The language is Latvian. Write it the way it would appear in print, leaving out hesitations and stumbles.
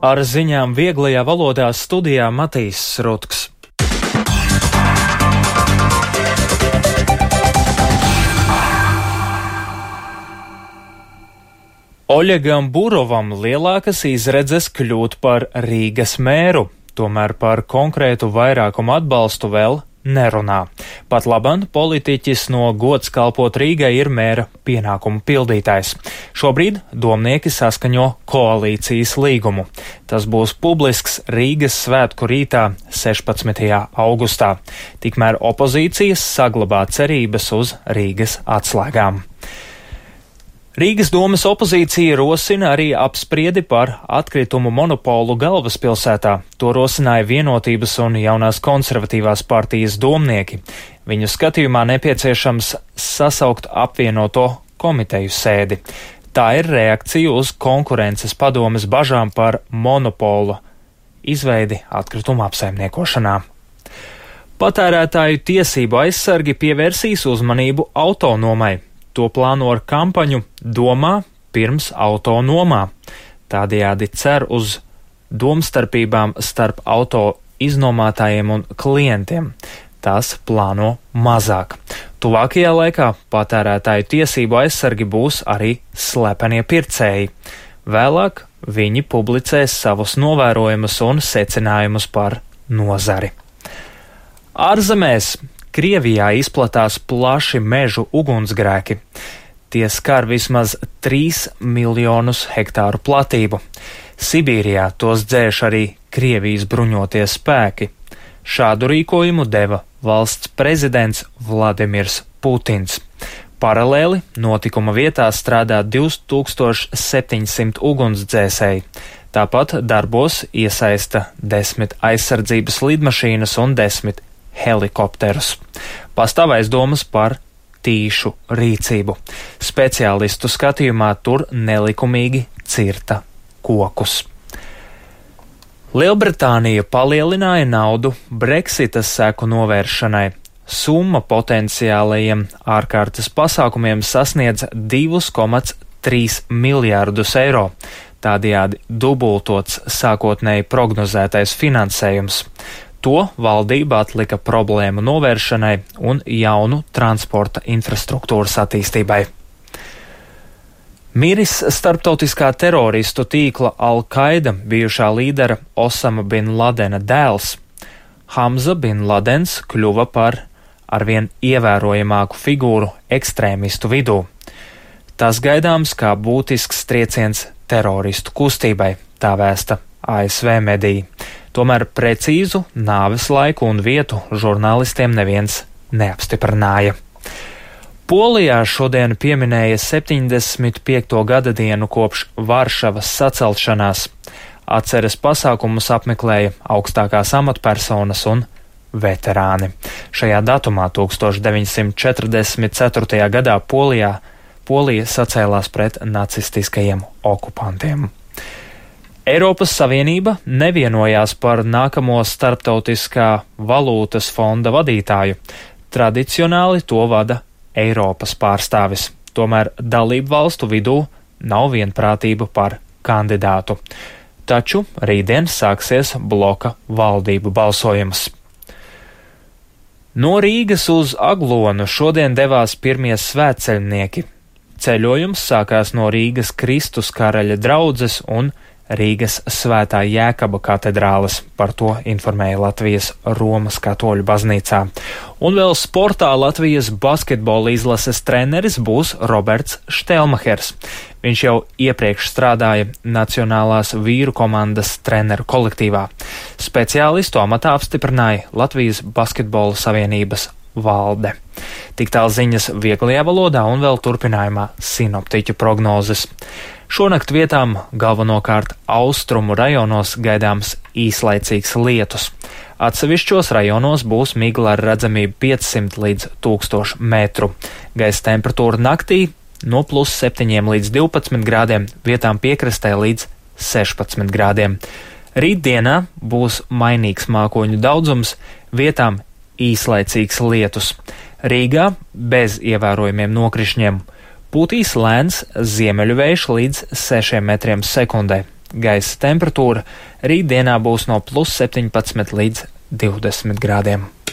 Ar ziņām vieglajā valodā studijā Matīs Rutks. Oļegam Burovam lielākas izredzes kļūt par Rīgas mēru, tomēr par konkrētu vairākumu atbalstu vēl nerunā. Pat labam politiķis no gods kalpot Rīgai ir mēra pienākumu pildītājs. Šobrīd domnieki saskaņo koalīcijas līgumu. Tas būs publisks Rīgas svētku rītā 16. augustā. Tikmēr opozīcijas saglabā cerības uz Rīgas atslēgām. Rīgas domas opozīcija rosina arī apspriedi par atkritumu monopolu galvaspilsētā. To rosināja Vienotības un Jaunās konservatīvās partijas domnieki. Viņu skatījumā nepieciešams sasaukt apvienoto komiteju sēdi. Tā ir reakcija uz konkurences padomes bažām par monopolu izveidi atkritumu apsaimniekošanā. Patērētāju tiesību aizsargi pievērsīs uzmanību autonomai. To plāno ar kampaņu Domā pirms auto nomā. Tādējādi cer uz domstarpībām starp auto iznomātājiem un klientiem. Tas plāno mazāk. Tuvākajā laikā patērētāju tiesību aizsargi būs arī slepenie pircēji. Vēlāk viņi publicēs savus novērojumus un secinājumus par nozari. Ārzemēs Krievijā izplatās plaši mežu ugunsgrēki. Tie skar vismaz 3 miljonus hektāru platību. Sibīrijā tos dzēš arī Krievijas bruņotie spēki. Šādu rīkojumu deva valsts prezidents Vladimirs Putins. Paralēli notikuma vietā strādā 2700 ugunsdzēsēji. Tāpat darbos iesaista 10 aizsardzības lidmašīnas un 10 helikopterus. Pastāv aizdomas par tīšu rīcību. Speciālistu skatījumā tur nelikumīgi cirta kokus. Lielbritānija palielināja naudu Brexitas seku novēršanai. Summa potenciālajiem ārkārtas pasākumiem sasniedz 2,3 miljārdus eiro. Tādējādi dubultots sākotnēji prognozētais finansējums. To valdība atlika problēmu novēršanai un jaunu transporta infrastruktūras attīstībai. Miris starptautiskā teroristu tīkla Al-Qaida bijušā līdera Osama bin Ladena dēls. Hamza bin Ladens kļuva par arvien ievērojamāku figūru ekstrēmistu vidū. Tas gaidāms kā būtisks trieciens teroristu kustībai, tā vēsta ASV mediji. Tomēr precīzu nāves laiku un vietu žurnālistiem neviens neapstiprināja. Polijā šodien pieminēja 75. gada dienu kopš Varšavas sacelšanās. Atceres pasākumus apmeklēja augstākās amatpersonas un veterāni. Šajā datumā 1944. gadā Polija sacēlās pret nacistiskajiem okupantiem. Eiropas Savienība nevienojās par nākamo starptautiskā valūtas fonda vadītāju. Tradicionāli to vada Eiropas pārstāvis. Tomēr dalību valstu vidū nav vienprātība par kandidātu. Taču rītdien sāksies bloka valdību balsojums. No Rīgas uz Aglonu šodien devās pirmie svētceļnieki. Ceļojums sākās no Rīgas Kristus karaļa draudzes un Rīgas Svētā Jēkaba katedrāles, par to informēja Latvijas Romas katoļu baznīcā. Un vēl sportā Latvijas basketbola izlases treneris būs Roberts Štelmahers. Viņš jau iepriekš strādāja Nacionālās vīru komandas treneru kolektīvā. Speciālistu amatā apstiprināja Latvijas basketbola savienības valde. Tik tāl ziņas vieglajā valodā un vēl turpinājumā sinoptiķu prognozes. Šonakt vietām galvenokārt austrumu rajonos gaidāms īslaicīgs lietus. Atsevišķos rajonos būs migla ar redzamību 500 līdz 1000 metru. Gaisa temperatūra naktī no +7 līdz 12 grādiem, vietām piekrastē līdz 16 grādiem. Rītdienā būs mainīgs mākoņu daudzums, vietām īslaicīgs lietus. Rīgā bez ievērojumiem nokrišņiem. Pūtīs lēns ziemeļu vējš līdz 6 metriem sekundē. Gaisa temperatūra rītdienā būs no +17 līdz 20 grādiem.